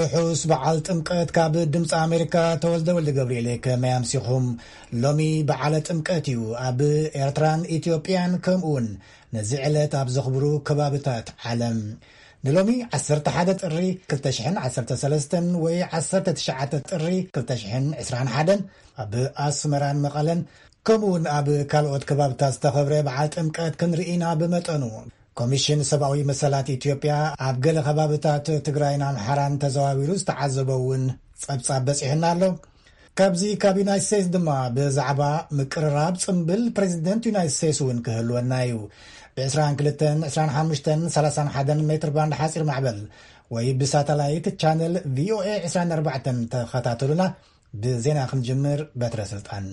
ርሑስ በዓል ጥምቀት ካብ ድምፂ ኣሜሪካ። ተወልደ ወልደ ገብርኤል። ከመይ ኣምሲኹም? ሎሚ በዓለ ጥምቀት እዩ ኣብ ኤርትራን ኢትዮጵያን፣ ከምኡውን ነዚ ዕለት ኣብ ዘኽብሩ ከባብታት ዓለም። ንሎሚ ዓሰርተ ሓደ ጥሪ ክልተ ሽሕን ዓሰርተ ሰለስተን ወይ ዓሰርተ ትሽዓተ ጥሪ ክልተ ሽሕን ዕስራን ሓደን ኣብ ኣስመራን መቐለን፣ ከምኡውን ኣብ ካልኦት ከባብታት ዝተኸብረ በዓል ጥምቀት ክንርኢ ኢና። ብመጠኑ ኮሚሽን ሰብኣዊ መሰላት ኢትዮጵያ ኣብ ገለ ከባብታት ትግራይን ኣምሓራን ተዘዋዊሩ ዝተዓዘቦ እውን ጸብጻብ በጺሑና ኣሎ። ካብዚ ካብ ዩናይት ስቴትስ ድማ ብዛዕባ ምቅርራብ ጽምብል ፕሬዚደንት ዩናይት ስቴትስ እውን ክህልወና እዩ። ብ22 25 31 ሜትር ባንድ ሓጺር ማዕበል ወይ ብሳተላይት ቻነል ቪኦኤ ዕስራን ኣርባዕተን ተኸታተሉና። ብዜና ክንጅምር በትረ ስልጣን።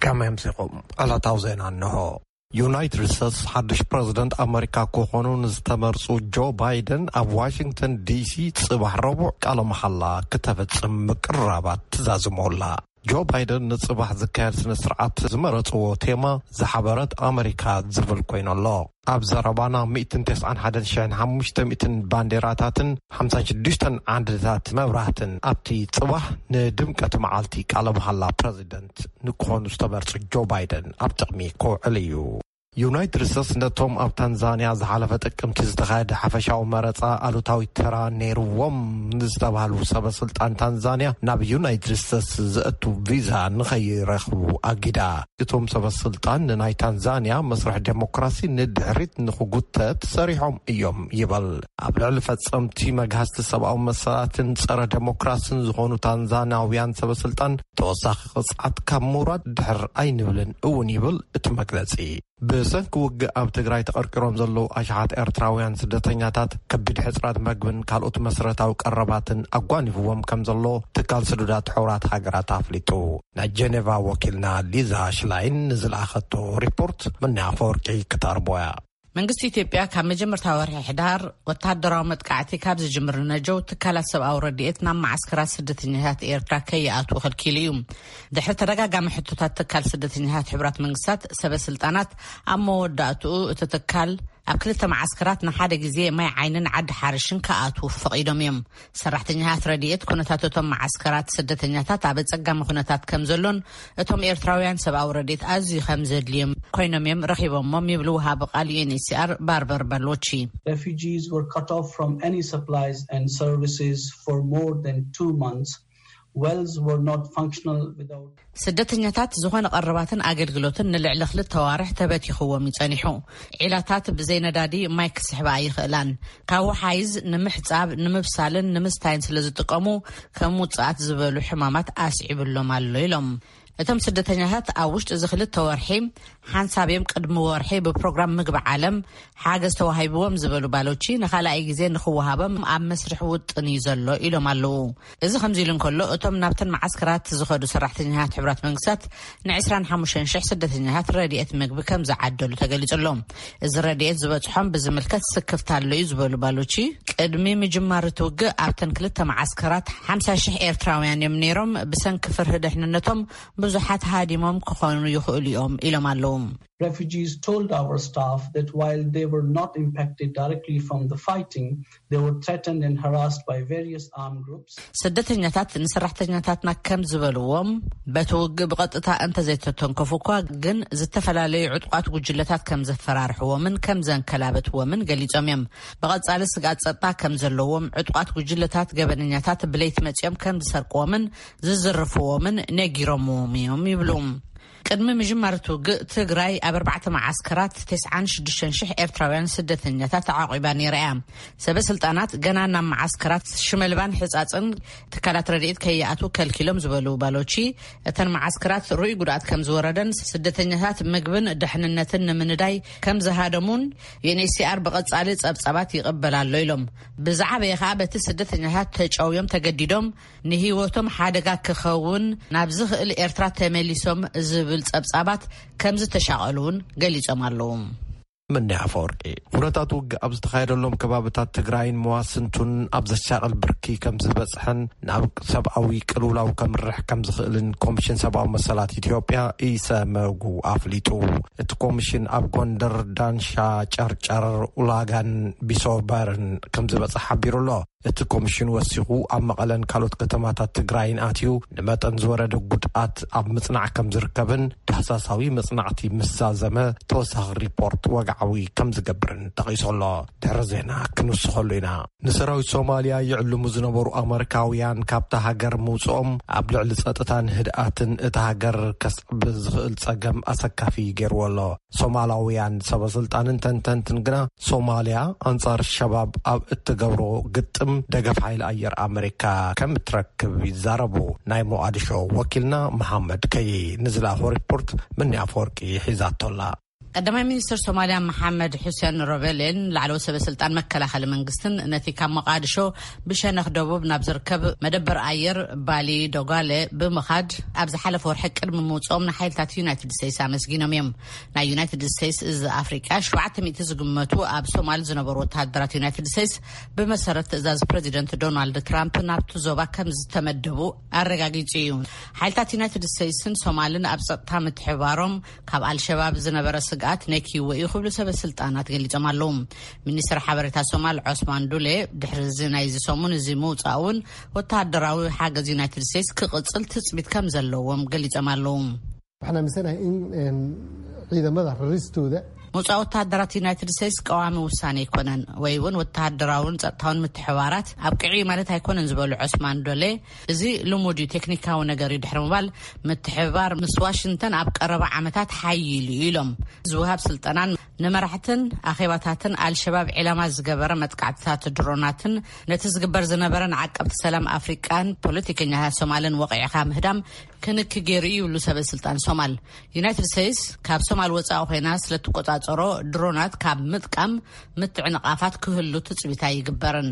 ከመይ ኣምሲኹም? ዕለታዊ ዜና እንሆ። ዩናይትድ ስቴትስ ሓድሽ ፕረዚደንት ኣመሪካ ክኾኑ ንዝተመርጹ ጆ ባይደን ኣብ ዋሽንግተን ዲሲ ጽባሕ ረቡዕ ቃለ መሓላ ክተፈጽም ምቅርራባት ትዛዝሞላ። ጆ ባይደን ንጽባሕ ዝካየድ ስነ ስርዓት ዝመረጽዎ ቴማ ዝሓበረት ኣመሪካ ዝብል ኮይኑ ኣሎ። ኣብ ዘረባና ሚእትን ተስዓን ሓደን ሽሕን ሓሙሽተ ሚእትን ባንዴራታትን ሓምሳን ሽዱሽተን ዓንድታት መብራህትን ኣብቲ ጽባሕ ንድምቀት መዓልቲ ቃለ መሓላ ፕረዚደንት ንክኾኑ ዝተመርጹ ጆ ባይደን ኣብ ጥቕሚ ክውዕል እዩ። ዩናይትድ ስቴትስ ነቶም ኣብ ታንዛንያ ዝሓለፈ ጥቅምቲ ዝተኻየደ ሓፈሻዊ መረጻ ኣሉታዊ ተራ ነይርዎም ንዝተባህሉ ሰበ ስልጣን ታንዛንያ ናብ ዩናይትድ ስቴትስ ዘእቱ ቪዛ ንኸይረኽቡ ኣጊዳ። እቶም ሰበ ስልጣን ንናይ ታንዛንያ መስርሕ ዴሞክራሲ ንድሕሪት ንኽጉተት ሰሪሖም እዮም ይበል። ኣብ ልዕሊ ፈጸምቲ መግሃስቲ ሰብኣዊ መሰላትን ጸረ ዴሞክራስን ዝኾኑ ታንዛንያውያን ሰበ ስልጣን ተወሳኺ ቅጽዓት ካብ ምውራድ ድሕር ኣይንብልን እውን ይብል እቲ መግለጺ። ብሰንኪ ውግእ ኣብ ትግራይ ተቐርቂሮም ዘለዉ ኣሽሓት ኤርትራውያን ስደተኛታት ከቢድ ሕጽረት መግብን ካልኦት መሰረታዊ ቀረባትን ኣጓኒፍዎም ከም ዘሎ ትካል ስዱዳት ሕቡራት ሃገራት ኣፍሊጡ። ናይ ጀኔቫ ወኪልና ሊዛ ሽላይን ንዝለኣኸቶ ሪፖርት ምንያ ኣፈወርቂ ክተቕርቦ እያ። መንግስቲ ኢትዮጵያ ካብ መጀመርታ ወርሒ ሕዳር ወተሃደራዊ መጥቃዕቲ ካብ ዝጅምር ንነጀው ትካላት ሰብኣዊ ረድኤት ናብ መዓስከራት ስደተኛታት ኤርትራ ከይኣትዉ ከልኪሉ እዩ። ድሕሪ ተደጋጋሚ ሕቶታት ትካል ስደተኛታት ሕቡራት መንግስታት ሰበ ስልጣናት፣ ኣብ መወዳእትኡ እቲ ትካል ኣብ ክልተ መዓስከራት ንሓደ ግዜ ማይ ዓይንን ዓዲ ሓርሽን ክኣትዉ ፈቒዶም እዮም። ሰራሕተኛታት ረድኤት ኩነታት እቶም መዓስከራት ስደተኛታት ኣብ ኣጸጋሚ ኩነታት ከም ዘሎን እቶም ኤርትራውያን ሰብኣዊ ረድኤት ኣዝዩ ከም ዘድልዮም ኮይኖም እዮም ረኺቦሞም ይብሉ ወሃቢ ቃል ዩ ኤን ኤች ሲ ኣር ባርበር በሎቺ። Refugees were cut off from any supplies and services for more than two months. Wells were not functional without ስደተኛታት ዝኾነ ቀረባትን ኣገልግሎትን ንልዕሊ ክልተ ዋርሕ ተበቲኽዎም እዩ ጸኒሑ። ዒላታት ብዘይ ነዳዲ ማይ ክስሕባ ኣይኽእላን። ካብ ወሓይዝ ንምሕጻብ፣ ንምብሳልን ንምስታይን ስለ ዝጥቀሙ ከም ውጽኣት ዝበሉ ሕማማት ኣስዒብሎም ኣሎ ኢሎም። እቶም ስደተኛታት ኣብ ውሽጢ እዚ ክልተ ወርሒ ሓንሳብ እዮም ቅድሚ ወርሒ ብፕሮግራም ምግቢ ዓለም ሓገዝ ተዋሂብዎም ዝበሉ ባሎቺ ንኻልኣይ ግዜ ንኽወሃቦም ኣብ መስርሕ ውጥን እዩ ዘሎ ኢሎም ኣለዉ። እዚ ከምዚ ኢሉ እንከሎ እቶም ናብተን መዓስከራት ዝኸዱ ሰራሕተኛታት ሕቡራት መንግስታት ን ዕስራን ሓሙሽተን ሽሕ ስደተኛታት ረድኤት ምግቢ ከም ዝዓደሉ ተገሊጹ ኣሎ። እዚ ረድኤት ዝበጽሖም ብዝምልከት ስክፍታ ኣሎ እዩ ዝበሉ ባሎቺ ቅድሚ ምጅማር እቲ ውግእ ኣብተን ክልተ መዓስከራት ሓምሳ ሽሕ ኤርትራውያን እዮም ነይሮም። ብሰንኪ ፍርሂ ድሕንነቶም ብዙሓት ሃዲሞም ክኾኑ ይኽእሉ እዮም ኢሎም ኣለዉ። Refugees told our staff that while they were not impacted directly from the fighting, they were threatened and harassed by various armed groups. ስደተኛታት ንሰራሕተኛታትና ከም ዝበልዎም በቲ ውግእ ብቐጥታ እንተዘይተተንከፉ እኳ ግን ዝተፈላለዩ ዕጡቓት ጉጅለታት ከም ዘፈራርሕዎምን ከም ዘንከላበትዎምን ገሊጾም እዮም። ብቐጻሊ ስግኣት ጸጥታ ከም ዘለዎም፣ ዕጡቓት ጉጅለታት ገበነኛታት ብለይቲ መጺኦም ከም ዝሰርቅዎምን ዝዝርፍዎምን ነጊሮምዎም እዮም ይብሉ። ቅድሚ ምጅማር እቲ ውግእ ትግራይ ኣብ ኣርባዕተ መዓስከራት ተስዓን ሽዱሽተን ሽሕ ኤርትራውያን ስደተኛታት ተዓቂባ ነይራ እያ። ሰበ ስልጣናት ገና ናብ መዓስከራት ሽመልባን ሕጻጽን ትካላት ረድኤት ከይኣትዉ ከልኪሎም ዝበሉ ባሎቺ፣ እተን መዓስከራት ርኡይ ጉድኣት ከም ዝወረደን ስደተኛታት ምግብን ድሕንነትን ንምንዳይ ከም ዝሃደሙን ዩ ኤን ኤች ሲ ኣር ብቐጻሊ ጸብጻባት ይቕበል ኣሎ ኢሎም። ብዝዓበየ ከኣ በቲ ስደተኛታት ተጨውዮም ተገዲዶም ንህይወቶም ሓደጋ ክኸውን ናብ ዝኽእል ኤርትራ ተመሊሶም ዝብል ጸብጻባት ከም ዝተሻቐሉ እውን ገሊጾም ኣለዉ። ምኒ ኣፈወርቂ። ኩነታት ውግእ ኣብ ዝተኻየደሎም ከባብታት ትግራይን መዋስንቱን ኣብ ዘሻቕል ብርኪ ከም ዝበፅሐን ናብ ሰብኣዊ ቅልውላው ከምርሕ ከም ዝኽእልን ኮሚሽን ሰብኣዊ መሰላት ኢትዮጵያ፣ ኢሰመጉ፣ ኣፍሊጡ። እቲ ኮሚሽን ኣብ ጎንደር፣ ዳንሻ፣ ጨርጨር፣ ኡላጋን ቢሶበርን ከም ዝበፅሐ ሓቢሩ ኣሎ። እቲ ኮሚሽን ወሲኹ፣ ኣብ መቐለን ካልኦት ከተማታት ትግራይን ኣትዩ ንመጠን ዝወረደ ጉድኣት ኣብ ምጽናዕ ከም ዝርከብን ዳህሳሳዊ መጽናዕቲ ምስ ዛዘመ ተወሳኺ ሪፖርት ወግዓዊ ከም ዝገብርን ጠቒሱ ኣሎ። ድሕሪ ዜና ክንውስኸሉ ኢና። ንሰራዊት ሶማልያ ይዕልሙ ዝነበሩ ኣመሪካውያን ካብታ ሃገር ምውጽኦም ኣብ ልዕሊ ጸጥታን ህድኣትን እታ ሃገር ከስዕብ ዝኽእል ጸገም ኣሰካፊ ገይርዎ ኣሎ። ሶማላውያን ሰበ ስልጣንን ተንተንትን ግና ሶማልያ ኣንጻር ሸባብ ኣብ እትገብሮ ግጥም ደገፍ ሓይሊ ኣየር ኣመሪካ ከም እትረክብ ይዛረቡ። ናይ ሞቓዲሾ ወኪልና መሓመድ ከይ ንዝለኣኾ ሪፖርት ምኒ ኣፈወርቂ ሒዛቶላ። ቀዳማይ ሚኒስትር ሶማልያ መሓመድ ሑሴን ሮቤሌን ላዕለዎት ሰበ ስልጣን መከላኸሊ መንግስትን ነቲ ካብ ሞቓዲሾ ብሸነኽ ደቡብ ናብ ዝርከብ መደበር ኣየር ባሊ ዶጋለ ብምኻድ ኣብ ዝሓለፈ ወርሒ ቅድሚ ምውፅኦም ንሓይልታት ዩናይትድ ስቴትስ ኣመስጊኖም እዮም። ናይ ዩናይትድ ስቴትስ እዚ ኣፍሪቃ ሸውዓተ ሚእቲ ዝግመቱ ኣብ ሶማል ዝነበሩ ወተሃደራት ዩናይትድ ስቴትስ ብመሰረት ትእዛዝ ፕሬዚደንት ዶናልድ ትራምፕ ናብቲ ዞባ ከም ዝተመደቡ ኣረጋጊጹ እዩ። ሓይልታት ዩናይትድ ስቴትስን ሶማልን ኣብ ጸጥታ ምትሕባሮም ካብ ኣልሸባብ ዝነበረ ስግኣት ነኪዎ እዩ ክብሉ ሰበ ስልጣናት ገሊጾም ኣለዉ። ሚኒስትር ሓበሬታ ሶማል ዖስማን ዱሌ ድሕሪ እዚ ናይዚ ሰሙን እዚ ምውጻእ እውን ወተሃደራዊ ሓገዝ ዩናይትድ ስቴትስ ክቕጽል ትጽቢት ከም ዘለዎም ገሊጾም ኣለዉ። Waxaan aaminsanahay in ciidamada raristooda ምውፃእ ወተሃደራት ዩናይትድ ስቴትስ ቀዋሚ ውሳኔ ኣይኮነን ወይ እውን ወተሃደራውን ጸጥታውን ምትሕባራት ኣብቅዒ ማለት ኣይኮነን ዝበሉ ዑስማን ዶሌ፣ እዚ ልሙድ እዩ፣ ቴክኒካዊ ነገር እዩ ድሕሪ ምባል፣ ምትሕብባር ምስ ዋሽንግተን ኣብ ቀረባ ዓመታት ሓይሉ እዩ ኢሎም። ዝውሃብ ስልጠናን ንመራሕትን ኣኼባታትን ኣልሸባብ ዒላማ ዝገበረ መጥቃዕትታት ድሮናትን ነቲ ዝግበር ዝነበረ ንዓቀብቲ ሰላም ኣፍሪቃን ፖለቲከኛታት ሶማልን ወቂዕካ ምህዳም ክንክ ገይሩ እዩ ይብሉ ሰበ ስልጣን ሶማል። ዩናይትድ ስቴትስ ካብ ሶማል ወፃኢ ኮይና ስለትቆፃፀሮ ድሮናት ካብ ምጥቃም ምትዕንቓፋት ክህሉ ትፅቢት ኣይግበርን።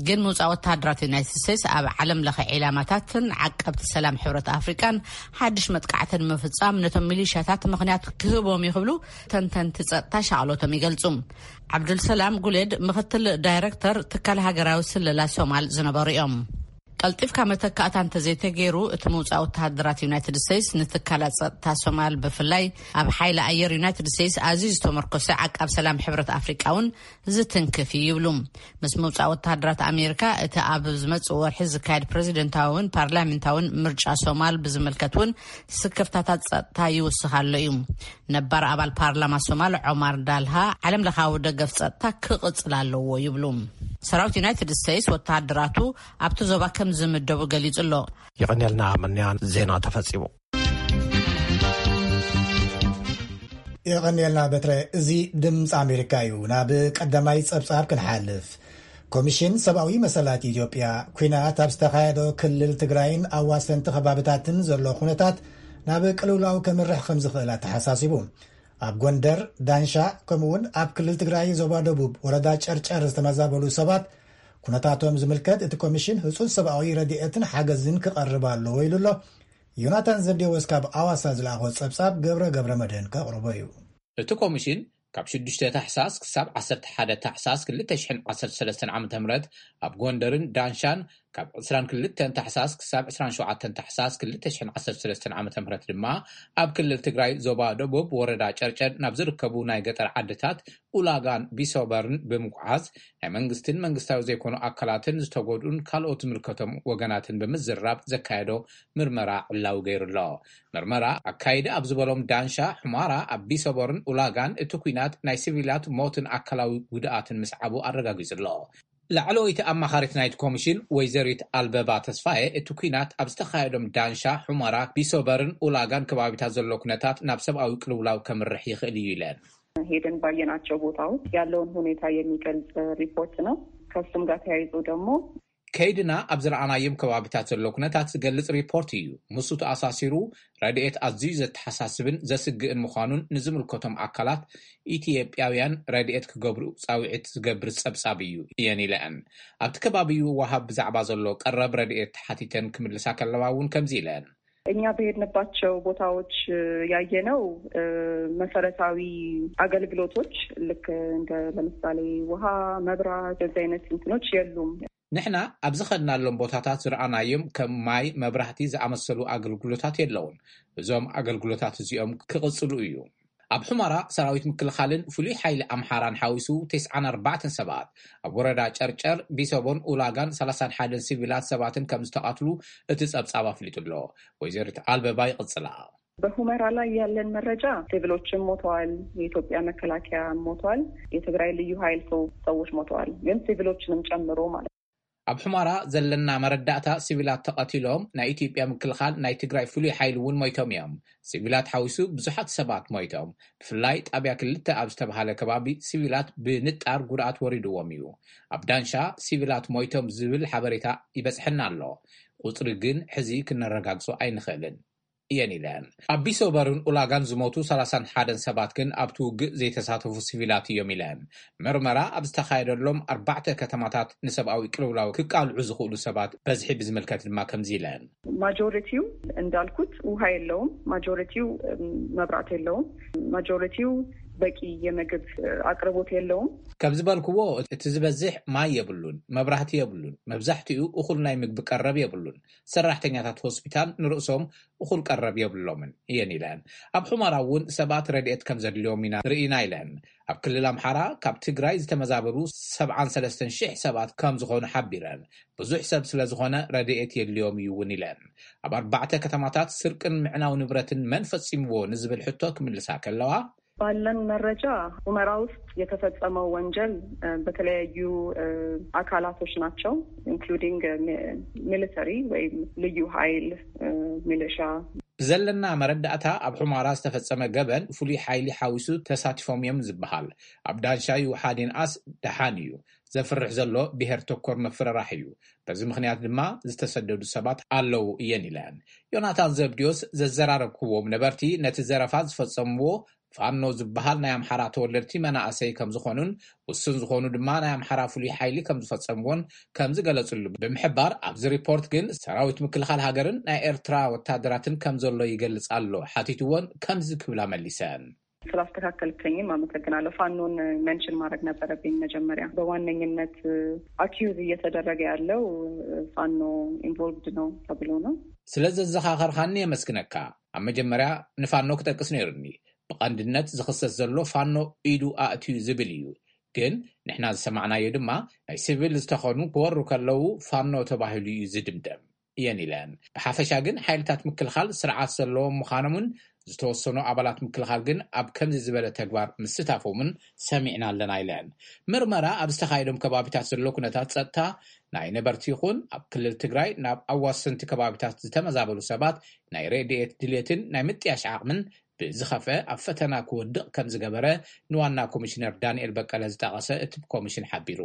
ግን ምውፃእ ወተሃደራት ዩናይትድ ስቴትስ ኣብ ዓለም ለኸ ዒላማታትን ዓቀብቲ ሰላም ሕብረት ኣፍሪቃን ሓድሽ መጥቃዕትን ምፍፃም ነቶም ሚሊሻታት ምኽንያት ክህቦም እዩ ክብሉ ተንተንቲ ፀጥታ ሻቕሎቶም ይገልፁ። ዓብዱልሰላም ጉሌድ ምኽትል ዳይረክተር ትካል ሃገራዊ ስለላ ሶማል ዝነበሩ እዮም። ቀልጢፍካ መተካእታ እንተዘይተገይሩ እቲ ምውፃእ ወተሃደራት ዩናይትድ ስቴትስ ንትካላት ፀጥታ ሶማል ብፍላይ ኣብ ሓይሊ ኣየር ዩናይትድ ስቴትስ ኣዝዩ ዝተመርኮሰ ዓቃብ ሰላም ሕብረት ኣፍሪቃ እውን ዝትንክፍ እዩ ይብሉ። ምስ ምውፃእ ወተሃደራት ኣሜሪካ እቲ ኣብ ዝመፅእ ወርሒ ዝካየድ ፕሬዚደንታዊን ፓርላሜንታዊን ምርጫ ሶማል ብዝምልከት እውን ስክፍታታት ፀጥታ ይውስኽ ኣሎ እዩ። ነባር ኣባል ፓርላማ ሶማል ዖማር ዳልሃ ዓለም ለኻዊ ደገፍ ፀጥታ ክቕፅል ኣለዎ ይብሉ። ሰራዊት ዩናይትድ ስቴትስ ወተሃደራቱ ኣብቲ ዞባ ከም ዝምደቡ ገሊጹ ኣሎ። ይቐንየልና ምንያን ዜና ተፈጺሙ። የቐንየልና በትረ። እዚ ድምፂ ኣሜሪካ እዩ። ናብ ቀዳማይ ፀብፃብ ክንሓልፍ። ኮሚሽን ሰብኣዊ መሰላት ኢትዮጵያ ኲናት ኣብ ዝተኻየዶ ክልል ትግራይን ኣዋሰንቲ ከባብታትን ዘሎ ኩነታት ናብ ቅልውላው ከምርሕ ከም ዝኽእል ኣተሓሳሲቡ። ኣብ ጎንደር፣ ዳንሻ፣ ከምኡውን ኣብ ክልል ትግራይ ዞባ ደቡብ ወረዳ ጨርጨር ዝተመዛበሉ ሰባት ኩነታቶም ዝምልከት እቲ ኮሚሽን ህፁፅ ሰብኣዊ ረድኤትን ሓገዝን ክቐርብ ኣለዎ ኢሉ ኣሎ። ዮናታን ዘብዴዎስ ካብ ኣዋሳ ዝለኣኾ ጸብጻብ ገብረ ገብረ መድህን ከቕርቦ እዩ። እቲ ኮሚሽን ካብ ሽዱሽተ ታሕሳስ ክሳብ ዓሰርተ ሓደ ታሕሳስ ክልተ ሽሕን ዓሰርተ ሰለስተን ዓመተ ምህረት ኣብ ጎንደርን ዳንሻን፣ ካብ ዕስራን ክልተን ታሕሳስ ክሳብ ዕስራን ሸውዓተን ታሕሳስ ክልተ ሽሕን ዓሰርተ ሰለስተን ዓመተ ምህረት ድማ ኣብ ክልል ትግራይ ዞባ ደቡብ ወረዳ ጨርጨር ናብ ዝርከቡ ናይ ገጠር ዓድታት ኡላጋን ቢሶበርን ብምጉዓዝ ናይ መንግስትን መንግስታዊ ዘይኮኑ ኣካላትን ዝተጎድኡን ካልኦት ዝምልከቶም ወገናትን ብምዝራብ ዘካየዶ ምርመራ ዕላዊ ገይሩ ኣሎ። ምርመራ ኣካይደ ኣብ ዝበሎም ዳንሻ፣ ሑማራ፣ ኣብ ቢሶበርን ኡላጋን እቲ ኲናት ናይ ሲቪላት ሞትን ኣካላዊ ጉድኣትን ምስዓቡ ኣረጋጊጹ ኣሎ። ላዕለወይቲ ኣማኻሪት ናይቲ ኮሚሽን ወይዘሪት ኣልበባ ተስፋየ፣ እቲ ኲናት ኣብ ዝተኻየዶም ዳንሻ፣ ሑመራ፣ ቢሶበርን ኡላጋን ከባቢታት ዘሎ ኩነታት ናብ ሰብኣዊ ቅልውላው ከምርሕ ይኽእል እዩ ኢለን። ሄደን ባየናቸው ቦታዎች ያለውን ሁኔታ የሚገልጽ ሪፖርት ነው። ከሱም ጋር ተያይዞ ደግሞ ከይድና ኣብ ዝረኣናዮም ከባቢታት ዘሎ ኩነታት ዝገልጽ ሪፖርት እዩ። ምስኡ ተኣሳሲሩ ረድኤት ኣዝዩ ዘተሓሳስብን ዘስግእን ምዃኑን ንዝምልከቶም ኣካላት ኢትዮጵያውያን ረድኤት ክገብሩ ጻውዒት ዝገብር ጸብጻብ እዩ እየን ኢለአን። ኣብቲ ከባቢ ወሃብ ብዛዕባ ዘሎ ቀረብ ረድኤት ተሓቲተን ክምልሳ ከለዋ እውን ከምዚ ኢለን። እኛ በሄድንባቸው ቦታዎች ያየነው መሰረታዊ አገልግሎቶች ልክ እንደ ለምሳሌ ውሃ፣ መብራት፣ እንደዚህ አይነት እንትኖች የሉም። ንሕና ኣብ ዝኸድናሎም ቦታታት ዝረኣናዮም ከም ማይ፣ መብራህቲ ዝኣመሰሉ ኣገልግሎታት የለውን። እዞም ኣገልግሎታት እዚኦም ክቕጽሉ እዩ። ኣብ ሑመራ ሰራዊት ምክልኻልን ፍሉይ ሓይሊ ኣምሓራን ሓዊሱ ተስዓን ኣርባዕተን ሰባት፣ ኣብ ወረዳ ጨርጨር፣ ቢሰቦን ኡላጋን ሰላሳን ሓደን ሲቪላት ሰባትን ከም ዝተቐትሉ እቲ ጸብጻብ ኣፍሊጡ ኣሎ። ወይዘሪት ኣልበባ ይቕጽላ። በሁመራ ላይ ያለን መረጃ ሲቪሎችም ሞተዋል፣ የኢትዮጵያ መከላከያ ሞተዋል፣ የትግራይ ልዩ ኃይል ሰው ሰዎች ሞተዋል፣ ግን ሲቪሎችንም ጨምሮ ማለት ነው። ኣብ ሑመራ ዘለና መረዳእታ ሲቪላት ተቐቲሎም፣ ናይ ኢትዮጵያ ምክልኻል ናይ ትግራይ ፍሉይ ሓይሊ እውን ሞይቶም እዮም። ሲቪላት ሓዊሱ ብዙሓት ሰባት ሞይቶም። ብፍላይ ጣብያ ክልተ ኣብ ዝተባሃለ ከባቢ ሲቪላት ብንጣር ጉድኣት ወሪድዎም እዩ። ኣብ ዳንሻ ሲቪላት ሞይቶም ዝብል ሓበሬታ ይበጽሐና ኣሎ። ቁጽሪ ግን ሕዚ ክነረጋግጾ ኣይንኽእልን እየን ኢለን። ኣብ ቢሶበርን ኡላጋን ዝሞቱ ሰላሳን ሓደን ሰባት ግን ኣብቲ ውግእ ዘይተሳተፉ ሲቪላት እዮም ኢለን። መርመራ ኣብ ዝተኻየደሎም ኣርባዕተ ከተማታት ንሰብኣዊ ቅልውላው ክቃልዑ ዝኽእሉ ሰባት በዝሒ ብዝምልከት ድማ ከምዚ ኢለን። ማጆሪቲው እንዳልኩት ውሃ የለውም። ማጆሪቲው መብራት የለውም። ማጆሪቲው በቂ የምግብ አቅርቦት የለውም። ከም ዝበልክዎ፣ እቲ ዝበዝሕ ማይ የብሉን፣ መብራህቲ የብሉን፣ መብዛሕትኡ እኹል ናይ ምግቢ ቀረብ የብሉን። ሰራሕተኛታት ሆስፒታል ንርእሶም እኹል ቀረብ የብሎምን እየን ኢለን። ኣብ ሑመራ እውን ሰባት ረድኤት ከም ዘድልዮም ኢና ርኢና ኢለን። ኣብ ክልል ኣምሓራ ካብ ትግራይ ዝተመዛበሉ ሰብዓን ሰለስተን ሽሕ ሰባት ከም ዝኾኑ ሓቢረን፣ ብዙሕ ሰብ ስለ ዝኾነ ረድኤት የድልዮም እዩ እውን ኢለን። ኣብ ኣርባዕተ ከተማታት ስርቅን ምዕናው ንብረትን መን ፈጺምዎ ንዝብል ሕቶ ክምልሳ ከለዋ፣ ባለን መረጃ ሁመራ ውስጥ የተፈጸመው ወንጀል በተለያዩ አካላቶች ናቸው፣ ኢንክሉዲንግ ሚሊተሪ ወይም ልዩ ኃይል፣ ሚሊሻ። ብዘለና መረዳእታ ኣብ ሑመራ ዝተፈጸመ ገበን ፍሉይ ሓይሊ ሓዊሱ ተሳቲፎም እዮም ዝበሃል። ኣብ ዳንሻ ይውሓድ ይንኣስ ደሓን እዩ። ዘፍርሕ ዘሎ ብሄር ተኮር መፍረራሕ እዩ። በዚ ምኽንያት ድማ ዝተሰደዱ ሰባት ኣለዉ እየን ኢለን። ዮናታን ዘብድዮስ ዘዘራረብክዎም ነበርቲ ነቲ ዘረፋ ዝፈጸምዎ ፋኖ ዝበሃል ናይ ኣምሓራ ተወለድቲ መናእሰይ ከም ዝኾኑን ውሱን ዝኾኑ ድማ ናይ ኣምሓራ ፍሉይ ሓይሊ ከም ዝፈጸምዎን ከም ዝገለጽሉ ብምሕባር፣ ኣብዚ ሪፖርት ግን ሰራዊት ምክልኻል ሃገርን ናይ ኤርትራ ወታደራትን ከም ዘሎ ይገልጽ ኣሎ ሓቲትዎን ከምዚ ክብላ መሊሰን። ስላስተካከልከኝም አመሰግናለሁ። ፋኖን ሜንሽን ማድረግ ነበረብኝ መጀመሪያ። በዋነኝነት አኪዩዝ እየተደረገ ያለው ፋኖ ኢንቮልቭድ ነው ተብሎ ነው። ስለ ዘዘኻኸርካኒ የመስግነካ። ኣብ መጀመርያ ንፋኖ ክጠቅስ ነይሩኒ። ብቐንድነት ዝኽሰስ ዘሎ ፋኖ ኢዱ ኣእትዩ ዝብል እዩ። ግን ንሕና ዝሰማዕናዮ ድማ ናይ ሲቪል ዝተኾኑ ክወሩ ከለዉ ፋኖ ተባሂሉ እዩ ዝድምደም እየን ኢለን። ብሓፈሻ ግን ሓይልታት ምክልኻል ስርዓት ዘለዎም ምዃኖምን ዝተወሰኑ ኣባላት ምክልኻል ግን ኣብ ከምዚ ዝበለ ተግባር ምስታፎምን ሰሚዕና ኣለና ኢለን። ምርመራ ኣብ ዝተኻየዶም ከባቢታት ዘሎ ኩነታት ጸጥታ ናይ ነበርቲ ይኹን ኣብ ክልል ትግራይ ናብ ኣዋሰንቲ ከባቢታት ዝተመዛበሉ ሰባት ናይ ረድኤት ድሌትን ናይ ምጥያሽ ዓቕምን ብዝኸፍአ ኣብ ፈተና ክወድቕ ከም ዝገበረ ንዋና ኮሚሽነር ዳንኤል በቀለ ዝጠቐሰ እቲ ኮሚሽን ሓቢሩ።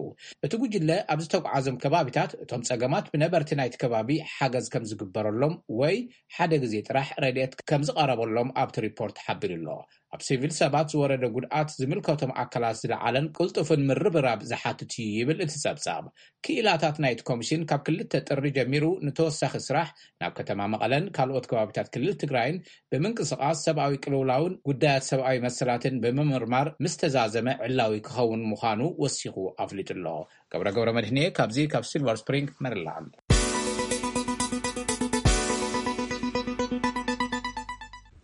እቲ ጉጅለ ኣብ ዝተጓዓዞም ከባቢታት እቶም ጸገማት ብነበርቲ ናይቲ ከባቢ ሓገዝ ከም ዝግበረሎም ወይ ሓደ ግዜ ጥራሕ ረድኤት ከም ዝቐረበሎም ኣብቲ ሪፖርት ሓቢሩ ኣሎ። ኣብ ሲቪል ሰባት ዝወረደ ጉድኣት ዝምልከቶም ኣካላት ዝለዓለን ቅልጡፍን ምርብራብ ዝሓትት እዩ ይብል እቲ ጸብጻብ። ክኢላታት ናይቲ ኮሚሽን ካብ ክልተ ጥሪ ጀሚሩ ንተወሳኺ ስራሕ ናብ ከተማ መቐለን ካልኦት ከባቢታት ክልል ትግራይን ብምንቅስቓስ ሰብኣዊ ቅልውላውን ጉዳያት ሰብኣዊ መሰላትን ብምምርማር ምስ ተዛዘመ ዕላዊ ክኸውን ምዃኑ ወሲኹ ኣፍሊጡ ኣሎ። ገብረ ገብረ መድህንየ ካብዚ ካብ ሲልቨር ስፕሪንግ ሜሪላንድ።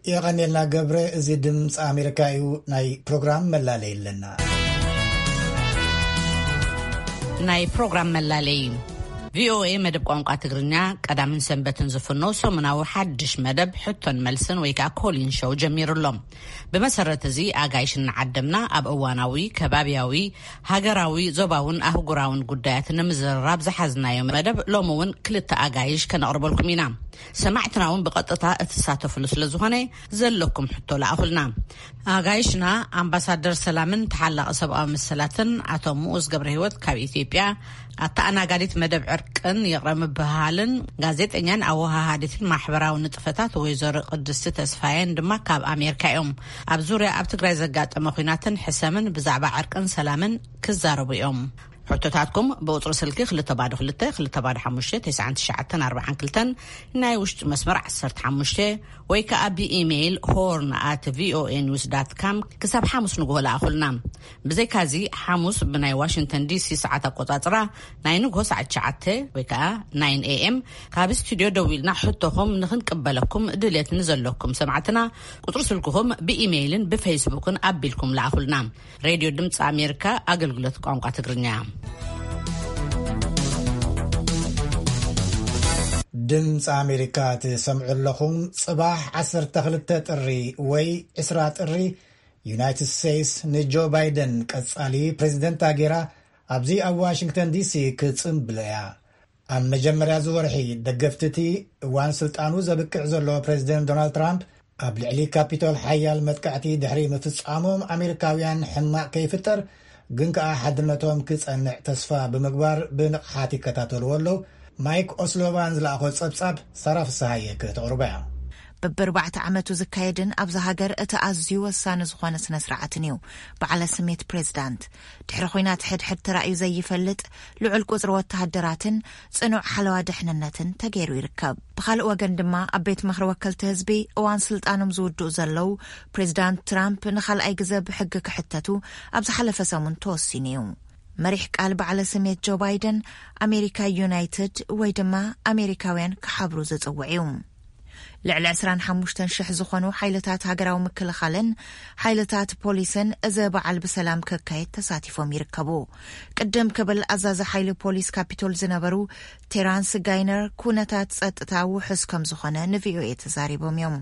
የቐኔልና ገብረ። እዚ ድምፂ ኣሜሪካ እዩ። ናይ ፕሮግራም መላለይ ኣለና። ናይ ፕሮግራም መላለይ። ቪኦኤ መደብ ቋንቋ ትግርኛ ቀዳምን ሰንበትን ዝፍኖ ሰሙናዊ ሓድሽ መደብ ሕቶን መልስን ወይ ከዓ ኮሊን ሾው ጀሚሩ ኣሎ። ብመሰረት እዚ ኣጋይሽ እናዓደምና ኣብ እዋናዊ፣ ከባብያዊ፣ ሃገራዊ፣ ዞባውን ኣህጉራውን ጉዳያት ንምዝርራብ ዝሓዝናዮ መደብ ሎሚ እውን ክልተ ኣጋይሽ ከነቕርበልኩም ኢና። ሰማዕትና እውን ብቐጥታ እትሳተፍሉ ስለ ዝኾነ ዘለኩም ሕቶ ለኣኹልና። ኣጋይሽና ኣምባሳደር ሰላምን ተሓላቒ ሰብኣዊ መሰላትን ኣቶ ሙኡዝ ገብረ ህይወት ካብ ኢትዮጵያ፣ ኣተኣናጋዲት መደብ ዕርቅን ይቕረ ምብህሃልን ጋዜጠኛን ኣወሃሃዲትን ማሕበራዊ ንጥፈታት ወይዘሮ ቅድስቲ ተስፋየን ድማ ካብ ኣሜሪካ እዮም። ኣብ ዙርያ ኣብ ትግራይ ዘጋጠመ ኲናትን ሕሰምን ብዛዕባ ዕርቅን ሰላምን ክዛረቡ እዮም። ሕቶታትኩም ብቁጽሪ ስልኪ ክልተ ባዶ ክልተ፣ ክልተ ባዶ ሓሙሽተ፣ ተስዓን ትሽዓተን ኣርባዓን ክልተን፣ ናይ ውሽጢ መስመር ዓሰርተ ሓሙሽተ፣ ወይ ከኣ ብኢሜይል ሆርን ኣት ቪኦኤ ኒውስ ዳት ካም ክሳብ ሓሙስ ንግሆ ለኣኹልና። ብዘይካዚ፣ ሓሙስ ብናይ ዋሽንግተን ዲሲ ሰዓት ኣቆጻጽራ ናይ ንግሆ ሰዓት ትሽዓተ ወይ ከኣ ናይን ኤ ኤም ካብ ስቱድዮ ደዊልና ሕቶኹም ንኽንቅበለኩም ድሌት ንዘለኩም ሰማዕትና፣ ቁጽሪ ስልክኹም ብኢሜይልን ብፌስቡክን ኣቢልኩም ለኣኹልና። ሬድዮ ድምፂ ኣሜሪካ፣ ኣገልግሎት ቋንቋ ትግርኛ። ድምፂ ኣሜሪካ ትሰምዑ ኣለኹም። ጽባሕ ዓሰርተ ክልተ ጥሪ ወይ ዕስራ ጥሪ፣ ዩናይትድ ስቴትስ ንጆ ባይደን ቀጻሊ ፕሬዚደንት ኣጌራ ኣብዚ ኣብ ዋሽንግተን ዲሲ ክጽንብሎ እያ። ኣብ መጀመርያ እዚ ወርሒ፣ ደገፍቲ እቲ እዋን ስልጣኑ ዘብቅዕ ዘሎ ፕሬዚደንት ዶናልድ ትራምፕ፣ ኣብ ልዕሊ ካፒቶል ሓያል መጥቃዕቲ ድሕሪ ምፍጻሞም፣ ኣሜሪካውያን ሕማቕ ከይፍጠር ግን ከኣ ሓድነቶም ክጸንዕ ተስፋ ብምግባር ብንቕሓት ይከታተልዎ ኣለዉ። ማይክ ኦስሎቫን ዝለኣኾ ጸብጻብ ሳራ ፍስሃየ ክተቕርቦ እያ። በብኣርባዕተ ዓመቱ ዝካየድን ኣብዛ ሃገር እቲ ኣዝዩ ወሳኒ ዝኾነ ስነ ስርዓትን እዩ። በዓለ ስሜት ፕሬዝዳንት፣ ድሕሪ ኹናት ሕድሕድ ተራእዩ ዘይፈልጥ ልዑል ቁጽሪ ወተሃደራትን ጽኑዕ ሓለዋ ድሕንነትን ተገይሩ ይርከብ። ብኻልእ ወገን ድማ፣ ኣብ ቤት ምኽሪ ወከልቲ ህዝቢ እዋን ስልጣኖም ዝውድኡ ዘለዉ ፕሬዝዳንት ትራምፕ ንኻልኣይ ግዘ ብሕጊ ክሕተቱ ኣብ ዝሓለፈ ሰሙን ተወሲኑ እዩ። መሪሕ ቃል በዓለ ስሜት ጆ ባይደን፣ ኣሜሪካ ዩናይትድ ወይ ድማ ኣሜሪካውያን ክሓብሩ ዝጽውዕ እዩ። ልዕሊ ዕስራን ሓሙሽተን ሽሕ ዝኾኑ ሓይልታት ሃገራዊ ምክልኻልን ሓይልታት ፖሊስን እዚ በዓል ብሰላም ክካየድ ተሳቲፎም ይርከቡ። ቅድም ክብል ኣዛዚ ሓይሊ ፖሊስ ካፒቶል ዝነበሩ ቴራንስ ጋይነር፣ ኩነታት ጸጥታ ውሑስ ከም ዝኾነ ንቪኦኤ ተዛሪቦም እዮም።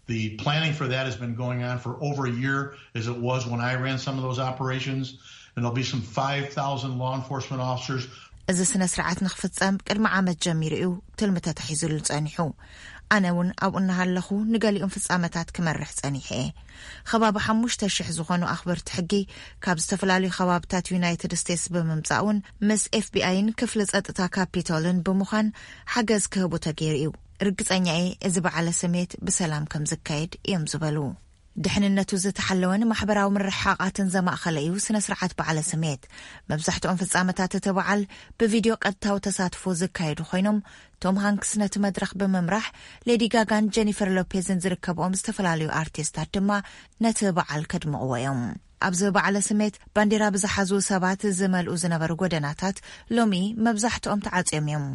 The planning for that has been going on for over a year, as it was when I ran some of those operations. And there'll be some five thousand law enforcement officers. እዚ ስነ ስርዓት ንክፍጸም ቅድሚ ዓመት ጀሚሩ እዩ ትልሚ ተታሒዙሉ ጸኒሑ። ኣነ እውን ኣብኡ እናሃለኹ ንገሊኦም ፍጻመታት ክመርሕ ጸኒሐ እየ። ከባቢ ሓሙሽተ ሽሕ ዝኾኑ ኣኽበርቲ ሕጊ ካብ ዝተፈላለዩ ከባብታት ዩናይትድ ስቴትስ ብምምጻእ እውን ምስ ኤፍቢኣይን ክፍሊ ጸጥታ ካፒቶልን ብምዃን ሓገዝ ክህቡ ተገይሩ እዩ። ርግጸኛ እየ፣ እዚ በዓለ ስሜት ብሰላም ከም ዝካየድ እዮም ዝበሉ። ድሕንነቱ ዝተሓለወን ማሕበራዊ ምርሕሓቓትን ዘማእኸለ እዩ ስነ ስርዓት በዓለ ስሜት። መብዛሕትኦም ፍጻመታት እቲ በዓል ብቪድዮ ቀጥታዊ ተሳትፎ ዝካየዱ ኮይኖም፣ ቶም ሃንክስ ነቲ መድረኽ ብምምራሕ፣ ሌዲ ጋጋን ጀኒፈር ሎፔዝን ዝርከብኦም ዝተፈላለዩ ኣርቲስታት ድማ ነቲ በዓል ከድምቕዎ እዮም። ኣብዚ በዓለ ስሜት ባንዲራ ብዝሓዙ ሰባት ዝመልኡ ዝነበሩ ጎደናታት ሎሚ መብዛሕትኦም ተዓጽዮም እዮም።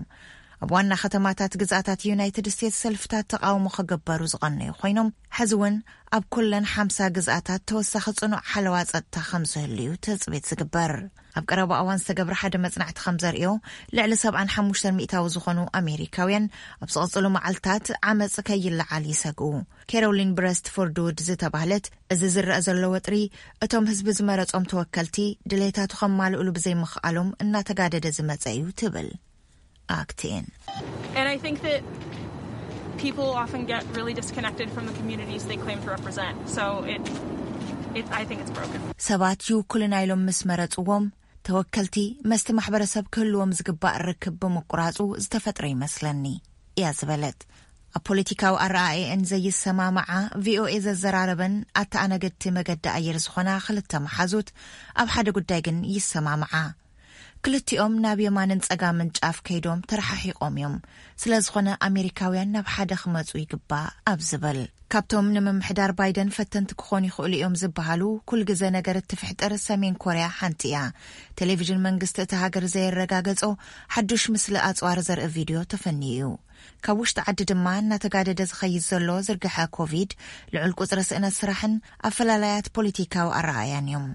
ኣብ ዋና ከተማታት ግዝኣታት ዩናይትድ ስቴትስ ሰልፍታት ተቓውሞ ክግበሩ ዝቐነዩ ኮይኖም፣ ሕዚ እውን ኣብ ኩለን ሓምሳ ግዝኣታት ተወሳኺ ጽኑዕ ሓለዋ ጸጥታ ከም ዝህሉ እዩ ትጽቢት ዝግበር። ኣብ ቀረባ እዋን ዝተገብረ ሓደ መጽናዕቲ ከም ዘርእዮ፣ ልዕሊ ሰብዓን ሓሙሽተን ሚእታዊ ዝኾኑ ኣሜሪካውያን ኣብ ዝቐጽሉ መዓልታት ዓመጽ ከይለዓል ይሰግኡ። ኬሮሊን ብረስትፎርድ ውድ ዝተባህለት፣ እዚ ዝረአ ዘሎ ወጥሪ እቶም ህዝቢ ዝመረጾም ተወከልቲ ድሌታቱ ከማልእሉ ብዘይምኽኣሎም እናተጋደደ ዝመጸ እዩ ትብል። ኣክቲን And I think that people often get really disconnected from the communities they claim to represent. So it, it I think it's broken. ሰባት ይውክሉና ኢሎም ምስ መረጽዎም፣ ተወከልቲ መስቲ ማሕበረሰብ ክህልዎም ዝግባእ ርክብ ብምቁራጹ ዝተፈጥረ ይመስለኒ እያ ዝበለት። ኣብ ፖለቲካዊ ኣረኣእየን ዘይሰማምዓ ቪኦኤ ዘዘራረበን ኣተኣናገድቲ መገዲ ኣየር ዝኾና ክልተ መሓዙት ኣብ ሓደ ጉዳይ ግን ይሰማምዓ። ክልቲኦም ናብ የማንን ጸጋምን ጫፍ ከይዶም ተረሓሒቖም እዮም። ስለ ዝኾነ ኣሜሪካውያን ናብ ሓደ ክመጹ ይግባእ ኣብ ዝብል። ካብቶም ንምምሕዳር ባይደን ፈተንቲ ክኾኑ ይኽእሉ እዮም ዝበሃሉ ኩል ግዘ ነገር እትፍሕጥር ሰሜን ኮርያ ሓንቲ እያ። ቴሌቪዥን መንግስቲ እታ ሃገር ዘየረጋገጾ ሓዱሽ ምስሊ ኣጽዋር ዘርኢ ቪድዮ ተፈንዩ እዩ። ካብ ውሽጢ ዓዲ ድማ እናተጋደደ ዝኸይድ ዘሎ ዝርግሐ ኮቪድ፣ ልዑል ቁጽሪ ስእነት ስራሕን ኣፈላላያት ፖለቲካዊ ኣረኣእያን እዮም።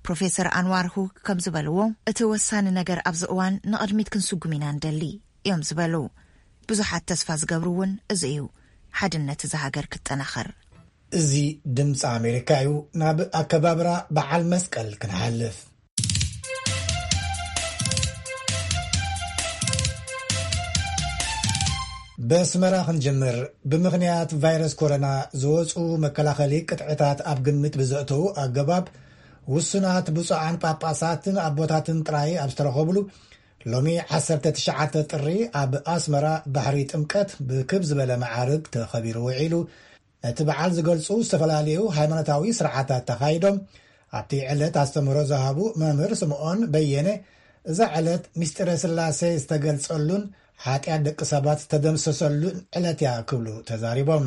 ፕሮፌሰር ኣንዋር ሁክ ከም ዝበልዎ፣ እቲ ወሳኒ ነገር ኣብዚ እዋን ንቕድሚት ክንስጉም ኢና ንደሊ እዮም ዝበሉ። ብዙሓት ተስፋ ዝገብሩ እውን እዚ እዩ፣ ሓድነት እዛ ሃገር ክጠናኸር። እዚ ድምፂ ኣሜሪካ እዩ። ናብ ኣከባብራ በዓል መስቀል ክንሓልፍ። በስመራ ክንጅምር። ብምኽንያት ቫይረስ ኮሮና ዝወፁ መከላኸሊ ቅጥዕታት ኣብ ግምት ብዘእተዉ ኣገባብ፣ ውሱናት ብፁዓን ጳጳሳትን ኣቦታትን ጥራይ ኣብ ዝተረኸብሉ፣ ሎሚ ዓሰርተ ትሽዓተ ጥሪ ኣብ ኣስመራ ባሕሪ ጥምቀት ብክብ ዝበለ መዓርግ ተኸቢሩ ውዒሉ። ነቲ በዓል ዝገልጹ ዝተፈላለዩ ሃይማኖታዊ ስርዓታት ተኻይዶም። ኣብቲ ዕለት ኣስተምህሮ ዝሃቡ መምህር ስምዖን በየነ፣ እዛ ዕለት ምስጢረ ስላሴ ዝተገልጸሉን ሓጢኣት ደቂ ሰባት ዝተደምሰሰሉን ዕለት እያ ክብሉ ተዛሪቦም።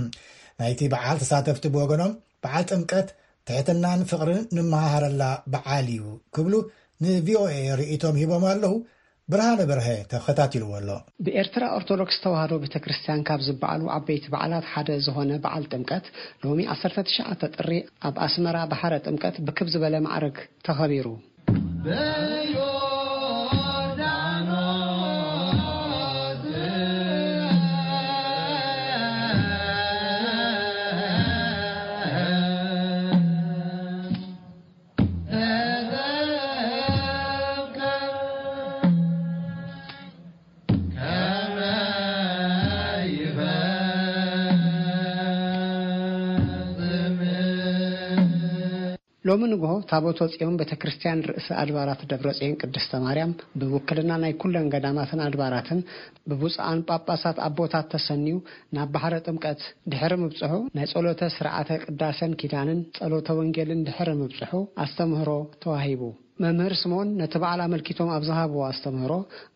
ናይቲ በዓል ተሳተፍቲ ብወገኖም፣ በዓል ጥምቀት ትሕትናን ፍቕርን ንመሃሃረላ በዓል እዩ ክብሉ ንቪኦኤ ርእይቶም ሂቦም ኣለዉ። ብርሃነ በርሀ ተኸታቲልዎ ኣሎ። ብኤርትራ ኦርቶዶክስ ተዋህዶ ቤተ ክርስቲያን ካብ ዝበዓሉ ዓበይቲ በዓላት ሓደ ዝኾነ በዓል ጥምቀት ሎሚ ዓሰርተ ትሽዓተ ጥሪ ኣብ ኣስመራ ባሕረ ጥምቀት ብክብ ዝበለ ማዕርግ ተኸቢሩ። ሎሚ ንግሆ ታቦተ ጽዮን ቤተ ክርስቲያን ርእሰ ኣድባራት ደብረ ጽዮን ቅድስተ ማርያም ብውክልና ናይ ኩለን ገዳማትን ኣድባራትን ብብፁዓን ጳጳሳት ኣቦታት ተሰንዩ ናብ ባሕረ ጥምቀት ድሕሪ ምብጽሑ ናይ ጸሎተ ስርዓተ ቅዳሴን ኪዳንን ጸሎተ ወንጌልን ድሕሪ ምብጽሑ ኣስተምህሮ ተዋሂቡ። መምህር ስምኦን ነቲ በዓል ኣመልኪቶም ኣብ ዝሃብዎ ኣስተምህሮ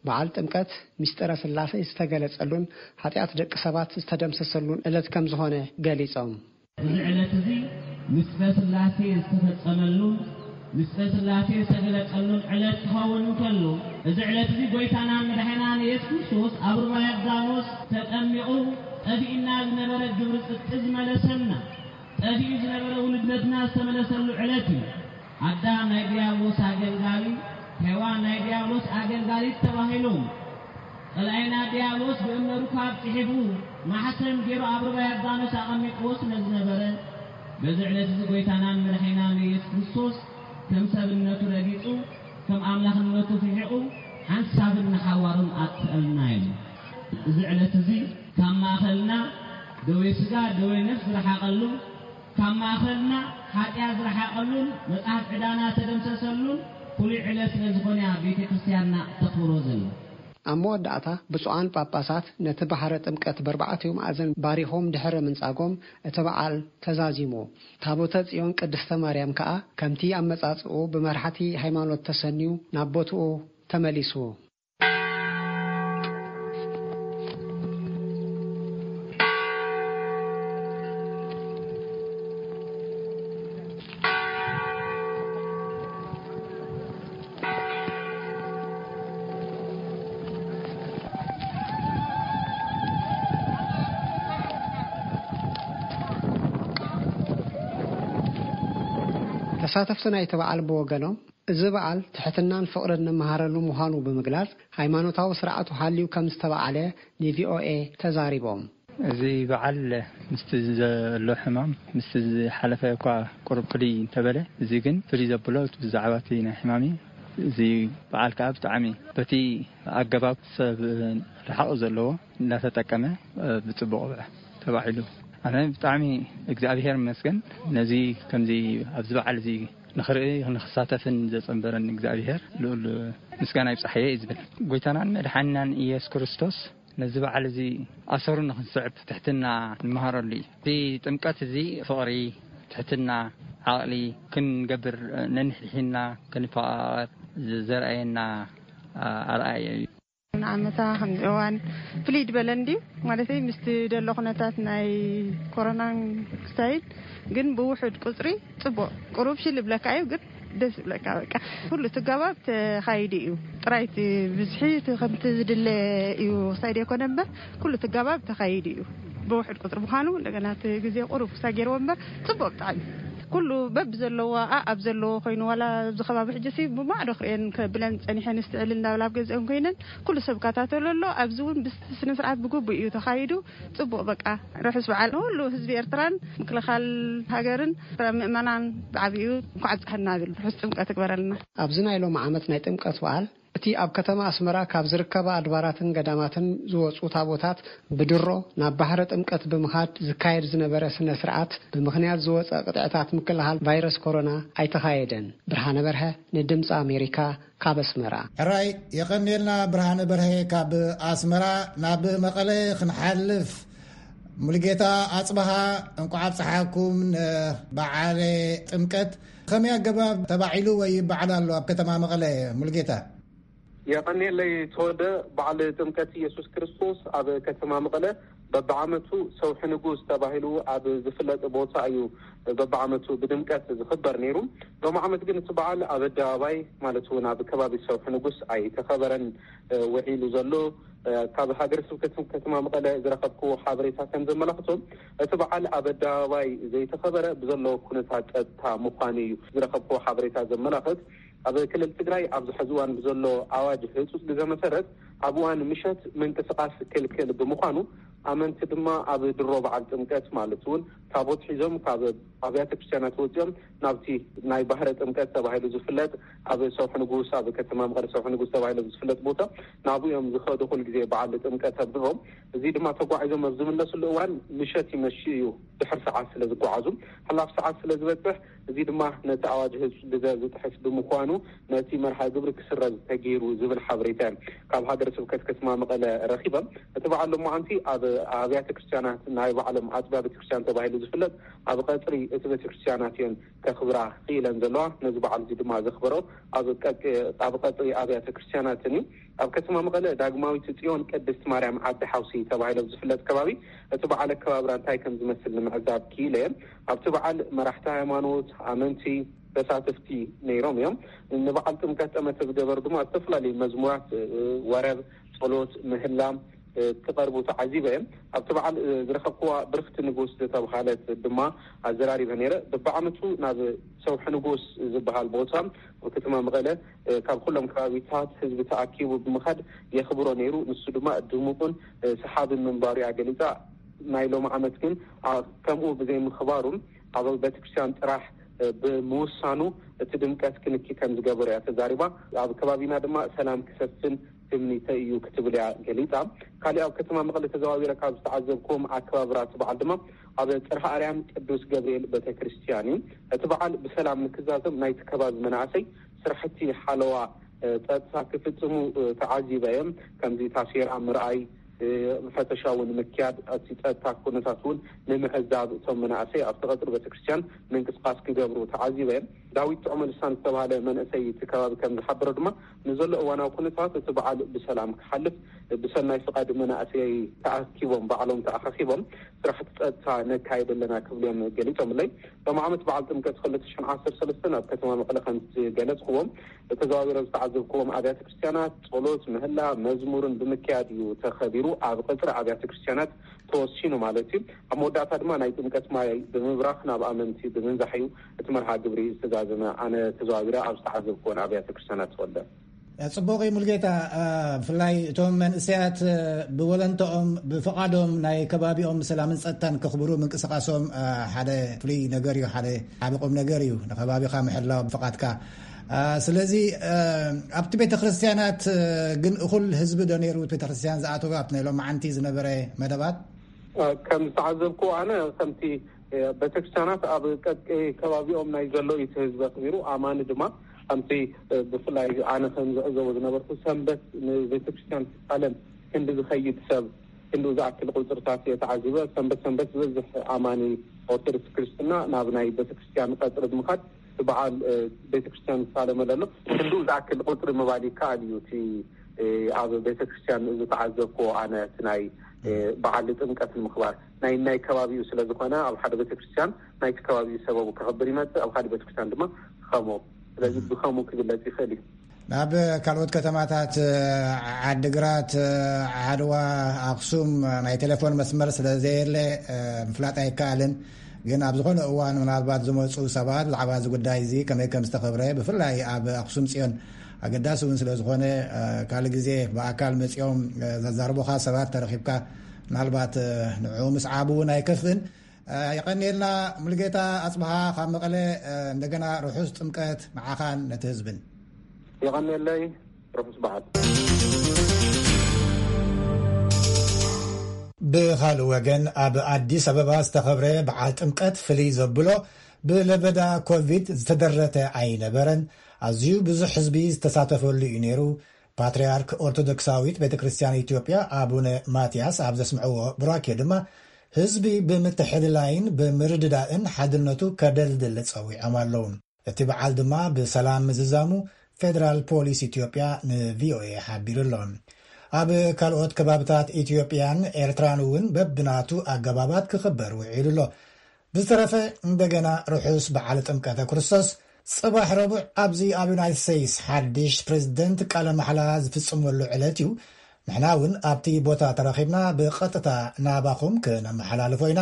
በዓል ጥምቀት ምስጢረ ስላሴ ዝተገለጸሉን ሓጢኣት ደቂ ሰባት ዝተደምሰሰሉን ዕለት ከም ዝኾነ ገሊጾም። እዚ ዕለት እዚ ምስጢረ ስላሴ ዝተፈጸመሉን ምስጢረ ስላሴ ዝተገለጸሉን ዕለት ክኸውን እንከሎ፣ እዚ ዕለት እዚ ጎይታናን መድሓናን ኢየሱስ ክርስቶስ ኣብ ሩባ ዮርዳኖስ ተጠሚቑ ጠፊእና ዝነበረ ግብሪ ጽድቂ ዝመለሰልና፣ ጠፊኡ ዝነበረ ውሉድነትና ዝተመለሰሉ ዕለት እዩ። ኣዳም ናይ ዲያብሎስ ኣገልጋሊ፣ ሄዋን ናይ ዲያብሎስ ኣገልጋሊት ተባሂሎም። ጸላኢና ዲያብሎስ ብእምነ ሩካብ ጽሒፉ ማሕተም ገይሩ ኣብ ሩባ ዮርዳኖስ ኣቐሚጥዎ ስለ ዝነበረ፣ በዚ ዕለት እዚ ጎይታናን መድሓኒናን ኢየሱስ ክርስቶስ ከም ሰብነቱ ረጊጹ፣ ከም ኣምላኽነቱ ርሒቑ ሓንሳብን ንሓዋሩን ኣጥፍኣልና እዩ። እዚ ዕለት እዚ ካብ ማእኸልና ደዌ ስጋ፣ ደዌ ነፍስ ዝረሓቐሉ፣ ካብ ማእኸልና ሓጢኣት ዝረሓቐሉን መጽሓፍ ዕዳና ተደምሰሰሉን ፍሉይ ዕለት ስለ ዝኾነ እያ ቤተ ክርስቲያንና ተኽብሮ ዘላ። ኣብ መወዳእታ ብፁዓን ጳጳሳት ነቲ ባሕረ ጥምቀት በርባዕቲኡ መኣዝን ባሪኾም ድሕሪ ምንጻጎም እቲ በዓል ተዛዚሙ። ታቦተ ጽዮን ቅድስተ ማርያም ከኣ ከምቲ ኣመጻጽኡ ብመራሕቲ ሃይማኖት ተሰንዩ ናብ ቦትኡ ተመሊሱ። ተሳተፍቲ ናይቲ በዓል ብወገኖም፣ እዚ በዓል ትሕትናን ፍቕርን ንመሃረሉ ምዃኑ ብምግላጽ፣ ሃይማኖታዊ ስርዓቱ ሃልዩ ከም ዝተበዓለ ንቪኦኤ ተዛሪቦም። እዚ በዓል ምስቲ ዘሎ ሕማም፣ ምስቲ ዝሓለፈ እኳ ቁሩብ ፍልይ እንተበለ፣ እዚ ግን ፍልይ ዘብሎ ብዛዕባ እቲ ናይ ሕማም እዩ። እዚ በዓል ከኣ ብጣዕሚ በቲ ኣገባብ ሰብ ርሓቕ ዘለዎ እንዳተጠቀመ፣ እ፣ ብጽቡቕ ተባዒሉ። ኣነ ብጣዕሚ እግዚኣብሔር ይመስገን፣ ነዚ ከምዚ ኣብዚ በዓል እዚ ንኽርኢ ንኽሳተፍን ዘጸንበረን እግዚኣብሔር ልዑል ምስጋና ይብጻሕዮ እዩ ዝብል። ጎይታናን መድሓኒናን ኢየሱስ ክርስቶስ ነዚ በዓል እዚ ኣሰሩ ንኽንስዕብ ትሕትና ንመሃረሉ እዩ። እዚ ጥምቀት እዚ ፍቕሪ፣ ትሕትና፣ ዓቕሊ ክንገብር፣ ነንሕድሕድና ክንፈቓቐር ዘርኣየና ኣርኣያ እዩ። ንዓመታ ከምዚ እዋን ፍልይ ዝበለ እንድዩ፣ ማለተይ ምስቲ ደሎ ኩነታት ናይ ኮሮናን ክስታይን ግን ብውሑድ ቁጽሪ ጽቡቕ ቁሩብ ሽል ይብለካ እዩ፣ ግን ደስ ይብለካ። በቃ ኩሉ ትጋባብ ተኻይዱ እዩ። ጥራይ እቲ ብዝሒ እቲ ከምቲ ዝድለ እዩ ክሳይድ የኮነ እምበር፣ ኩሉ ትጋባብ ተኻይዱ እዩ። ብውሑድ ቁጽሪ ምዃኑ እንደገና እቲ ግዜ ቁሩብ ክሳይ ገይርዎ እምበር፣ ጽቡቕ ብጣዕሚ። ኩሉ በብ ዘለዎ፣ ኣኣብ ዘለዎ ኮይኑ፣ ዋላ ኣብዚ ከባቢ ሕጂ ሲ ብማዕዶ ክርእየን ከብለን ጸኒሐን፣ እስትዕል እንዳብላ ኣብ ገዝአን ኮይነን ኩሉ ሰብ ይከታተሎ ኣሎ። ኣብዚ እውን ብስነ ስርዓት ብግቡእ እዩ ተኻይዱ። ጽቡቕ በቃ፣ ርሑስ በዓል ንኹሉ ህዝቢ ኤርትራን ምክልኻል ሃገርን ምእመናን ብዓቢኡ እንኳዕ ኣብጽሐና እብል። ርሑስ ጥምቀት ይግበረልና። ኣብዚ ናይ ሎሚ ዓመት ናይ ጥምቀት በዓል እቲ ኣብ ከተማ ኣስመራ ካብ ዝርከባ ኣድባራትን ገዳማትን ዝወጹ ታቦታት ብድሮ ናብ ባሕረ ጥምቀት ብምኻድ ዝካየድ ዝነበረ ስነ ስርዓት ብምኽንያት ዝወጸ ቅጥዕታት ምክልኻል ቫይረስ ኮሮና ኣይተኻየደን። ብርሃነ በርሀ ንድምፂ ኣሜሪካ ካብ ኣስመራ። ሕራይ የቐንየልና ብርሃነ በርሀ ካብ ኣስመራ። ናብ መቐለ ክንሓልፍ፣ ሙሉጌታ ኣጽብሃ፣ እንቋዕ ኣብጽሓኩም ንበዓለ ጥምቀት። ከመይ ኣገባብ ተባዒሉ ወይ ይበዓል ኣሎ ኣብ ከተማ መቐለ? ሙሉጌታ። የቐኔለይ ተወደ። በዓል ጥምቀት ኢየሱስ ክርስቶስ ኣብ ከተማ መቐለ በብዓመቱ ሰውሒ ንጉስ ተባሂሉ ኣብ ዝፍለጥ ቦታ እዩ በብዓመቱ ብድምቀት ዝኽበር ነይሩ። ሎም ዓመት ግን እቲ በዓል ኣብ ኣደባባይ፣ ማለት እውን ኣብ ከባቢ ሰውሒ ንጉስ ኣይተኸበረን ውዒሉ ዘሎ። ካብ ሃገረ ስብከት ከተማ መቐለ ዝረኸብክዎ ሓበሬታ ከም ዘመላኽቶ፣ እቲ በዓል ኣብ ኣደባባይ ዘይተኸበረ ብዘሎ ኩነታት ጸጥታ ምዃኑ እዩ ዝረኸብክዎ ሓበሬታ ዘመላኽት። ኣብ ክልል ትግራይ ኣብዚ ሕዚ እዋን ብዘሎ ኣዋጅ ህፁፅ ግዘ መሰረት፣ ኣብ እዋን ምሸት ምንቅስቃስ ክልክል ብምዃኑ፣ ኣመንቲ ድማ ኣብ ድሮ በዓል ጥምቀት፣ ማለት እውን ታቦት ሒዞም ካብ ኣብያተ ክርስቲያናት ወፂኦም ናብቲ ናይ ባህረ ጥምቀት ተባሂሉ ዝፍለጥ፣ ኣብ ሰውሒ ንጉስ፣ ኣብ ከተማ መቐለ ሰውሒ ንጉስ ተባሂሉ ዝፍለጥ ቦታ፣ ናብኡ እዮም ዝኸዱ። ኩል ግዜ በዓል ጥምቀት ኣብ ድሮም። እዚ ድማ ተጓዒዞም ኣብ ዝምለስሉ እዋን ምሸት ይመሽ እዩ፣ ድሕር ሰዓት ስለ ዝጓዓዙ፣ ሓላፍ ሰዓት ስለ ዝበፅሕ፣ እዚ ድማ ነቲ ኣዋጅ ህፁፅ ግዘ ዝጥሕስ ብምዃኑ፣ ነቲ መርሃ ግብሪ ክስረዝ ተገይሩ ዝብል ሓበሬታ እዮም ካብ ሃገረ ስብከት ከተማ መቐለ ረኺበም። እቲ በዓል ሎማዓንቲ ኣብ ኣብያተ ክርስቲያናት፣ ናይ ባዕሎም ኣፅቢያ ቤተክርስትያን ተባሂሉ ዝፍለጥ፣ ኣብ ቀፅሪ እቲ ቤተክርስትያናት እየን ከኽብራ ክኢለን ዘለዋ። ነዚ በዓል እዚ ድማ ዘኽበሮ ኣብ ቀ-፣ ኣብ ቀፅሪ ኣብያተ ክርስቲያናትን እዩ። ኣብ ከተማ መቐለ ዳግማዊት ጽዮን ቅድስት ማርያም ዓዲ ሓውሲ ተባሂሉ ኣብ ዝፍለጥ ከባቢ፣ እቲ በዓል ኣከባብራ እንታይ ከም ዝመስል ንምዕዛብ ክኢለ እየ። ኣብቲ በዓል መራሕቲ ሃይማኖት፣ ኣመንቲ፣ ተሳተፍቲ ነይሮም እዮም። ንበዓል ጥምቀት ጠመተ ዝገበሩ ድማ ዝተፈላለዩ መዝሙራት፣ ወረብ፣ ጸሎት፣ ምህላ ክቐርቡ ተዓዚበ እየ። ኣብቲ በዓል ዝረኸብክዋ ብርኽቲ ንጉስ ዝተብሃለት ድማ ኣዘራሪበ ነይረ። በብዓመቱ ናብ ሰውሒ ንጉስ ዝበሃል ቦታ ኣብ ከተማ መቐለ ካብ ኩሎም ከባቢታት ህዝቢ ተኣኪቡ ብምኻድ የኽብሮ ነይሩ። ንሱ ድማ ድሙቕን ሰሓብን ምንባሩ እያ ገሊጻ። ናይ ሎም ዓመት ግን ኣ-፣ ከምኡ ብዘይምኽባሩ፣ ኣብ ቤተክርስትያን ጥራሕ ብምውሳኑ፣ እቲ ድምቀት ክንኪ ከም ዝገበሮ እያ ተዛሪባ። ኣብ ከባቢና ድማ ሰላም ክሰፍን ትምኒተይ እዩ ክትብል እያ ገሊጻ። ካሊእ ኣብ ከተማ መቐለ ተዘዋዊረ ካብ ዝተዓዘብኩም ኣከባብራ እቲ በዓል ድማ ኣብ ጽርሐ ኣርያም ቅዱስ ገብርኤል ቤተክርስትያን እዩ። እቲ በዓል ብሰላም ንክዛዘም ናይቲ ከባቢ መናእሰይ ስራሕቲ ሓለዋ ጸጥታ ክፍጽሙ ተዓዚበ እዮም። ከምዚ ታሴራ ምርኣይ፣ ፈተሻ እውን ምክያድ፣ እቲ ጸጥታ ኩነታት እውን ንምዕዛብ እቶም መናእሰይ ኣብቲ ቀጽሪ ቤተክርስትያን ምንቅስቃስ ክገብሩ ተዓዚበ እዮም። ዳዊት ጥዑመ ልሳን ዝተባሃለ መንእሰይ እቲ ከባቢ ከም ዝሓበሮ ድማ፣ ንዘሎ እዋናዊ ኩነታት እቲ በዓል ብሰላም ክሓልፍ ብሰናይ ፍቃድ መናእሰይ ተኣኪቦም፣ ባዕሎም ተኣኻኺቦም ስራሕቲ ጸጥታ ነካይድ ኣለና ክብሉ እዮም ገሊጾምለይ። ሎም ዓመት በዓል ጥምቀት ክልተ ሽሕን ዓሰርተ ሰለስተን ኣብ ከተማ መቐለ ከም ዝገለጽክዎም፣ ተዘዋዊረ ዝተዓዘብክዎም ኣብያተ ክርስትያናት ጸሎት፣ ምህላ፣ መዝሙርን ብምክያድ እዩ ተኸቢሩ። ኣብ ቀጽሪ ኣብያተ ክርስትያናት ተወሲኑ ማለት እዩ። ኣብ መወዳእታ ድማ ናይ ጥምቀት ማይ ብምብራኽ ናብ ኣመንቲ ብምንዛሕ እዩ እቲ መርሃ ግብሪ ዝተዛዘመ። ኣነ ተዘዋዊረ ኣብ ዝተዓዘብክዎን ኣብያተ ክርስትያናት ተወልደ። ጽቡቕ እዩ ሙልጌታ። እ፣ ብፍላይ እቶም መንእሰያት፣ እ፣ ብወለንተኦም ብፍቓዶም ናይ ከባቢኦም ሰላምን ጸጥታን ከኽብሩ ምንቅስቓሶም፣ እ፣ ሓደ ፍሉይ ነገር እዩ፣ ሓደ ዓቢ ቁም ነገር እዩ፣ ንከባቢኻ ምሕላው ብፍቓድካ። እ፣ ስለዚ፣ እ፣ ኣብቲ ቤተ ክርስትያናት፣ እ፣ ግን እኹል ህዝቢ ዶ ነይሩ ቤተ ክርስትያን ዝኣተወ ኣብቲ ናይ ሎማዓንቲ ዝነበረ መደባት? እ፣ ከም ዝተዓዘብኩ ኣነ ከምቲ ቤተክርስትያናት ኣብ ቀጥቂ ከባቢኦም ናይ ዘሎ እዩ እቲ ህዝቢ ኣኽቢሩ። ኣማኒ ድማ ከምቲ ብፍላይ ኣነ ከም ዝዕዘቦ ዝነበርኩ ሰንበት ንቤተክርስትያን ዓለም ክንዲ ዝኸይድ ሰብ ክንዲ ዝኣክል ቁፅርታት እየ ተዓዚበ። ሰንበት ሰንበት ዝበዝሕ ኣማኒ ኦርቶዶክስ ክርስትና ናብ ናይ ቤተክርስትያን ቀፅሪ ብምኻድ እቲ በዓል ቤተክርስትያን ዝሳለመ ዘሎ ክንዲ ዝኣክል ቁፅሪ ምባል ይከኣል እዩ። እቲ ኣብ ቤተክርስትያን ዝተዓዘብኩዎ ኣነ እቲ ናይ በዓል ጥምቀት ንምኽባር ናይ ናይ ከባቢኡ ስለ ዝኾነ ኣብ ሓደ ቤተክርስትያን ናይቲ ከባቢኡ ሰበቡ ከኽብር ይመጽእ፣ ኣብ ሓደ ቤተክርስትያን ድማ ኸሞ። ስለዚ ብኸሙ ክግለጽ ይኽእል እዩ። ናብ ካልኦት ከተማታት ዓድግራት፣ ዓድዋ፣ ኣኽሱም ናይ ቴሌፎን መስመር ስለ ዘየለ ምፍላጥ ኣይከኣልን። ግን ኣብ ዝኾነ እዋን ምናልባት ዝመፁ ሰባት ብዛዕባ እዚ ጉዳይ እዚ ከመይ ከም ዝተኸብረ ብፍላይ ኣብ ኣኽሱም ፅዮን ኣገዳሲ እውን ስለ ዝኾነ ካልእ ግዜ ብኣካል መፂኦም ዘዛርቡኻ ሰባት ተረኺብካ ምናልባት ንዕኡ ምስዓቡ እውን ኣይከፍእን። የቐንየልና ሙሉጌታ ኣፅብሃ ካብ መቐለ። እንደገና ርሑስ ጥምቀት ንዓኻን ነቲ ህዝብን። የቐንየለይ። ርሑስ በዓል። ብኻልእ ወገን ኣብ ኣዲስ ኣበባ ዝተኸብረ በዓል ጥምቀት ፍልይ ዘብሎ ብለበዳ ኮቪድ ዝተደረተ ኣይነበረን። ኣዝዩ ብዙሕ ህዝቢ ዝተሳተፈሉ እዩ ነይሩ። ፓትርያርክ ኦርቶዶክሳዊት ቤተ ክርስቲያን ኢትዮጵያ ኣቡነ ማትያስ ኣብ ዘስምዕዎ ቡራኬ ድማ ህዝቢ ብምትሕልላይን ብምርድዳእን ሓድነቱ ከደልድል ጸዊዖም ኣለዉ። እቲ በዓል ድማ ብሰላም ምዝዛሙ ፌደራል ፖሊስ ኢትዮጵያ ንቪኦኤ ሓቢሩ ኣሎ። ኣብ ካልኦት ከባብታት ኢትዮጵያን ኤርትራን እውን በብናቱ ኣገባባት ክኽበር ውዒሉ ኣሎ። ብዝተረፈ፣ እንደገና ርሑስ በዓል ጥምቀተ ክርስቶስ። ጽባሕ ረቡዕ ኣብዚ ኣብ ዩናይትድ ስቴትስ ሓድሽ ፕሬዝደንት ቃለ ማሕላ ዝፍጽመሉ ዕለት እዩ። ንሕና እውን ኣብቲ ቦታ ተረኺብና ብቐጥታ ናባኹም ክነመሓላልፎ ኢና።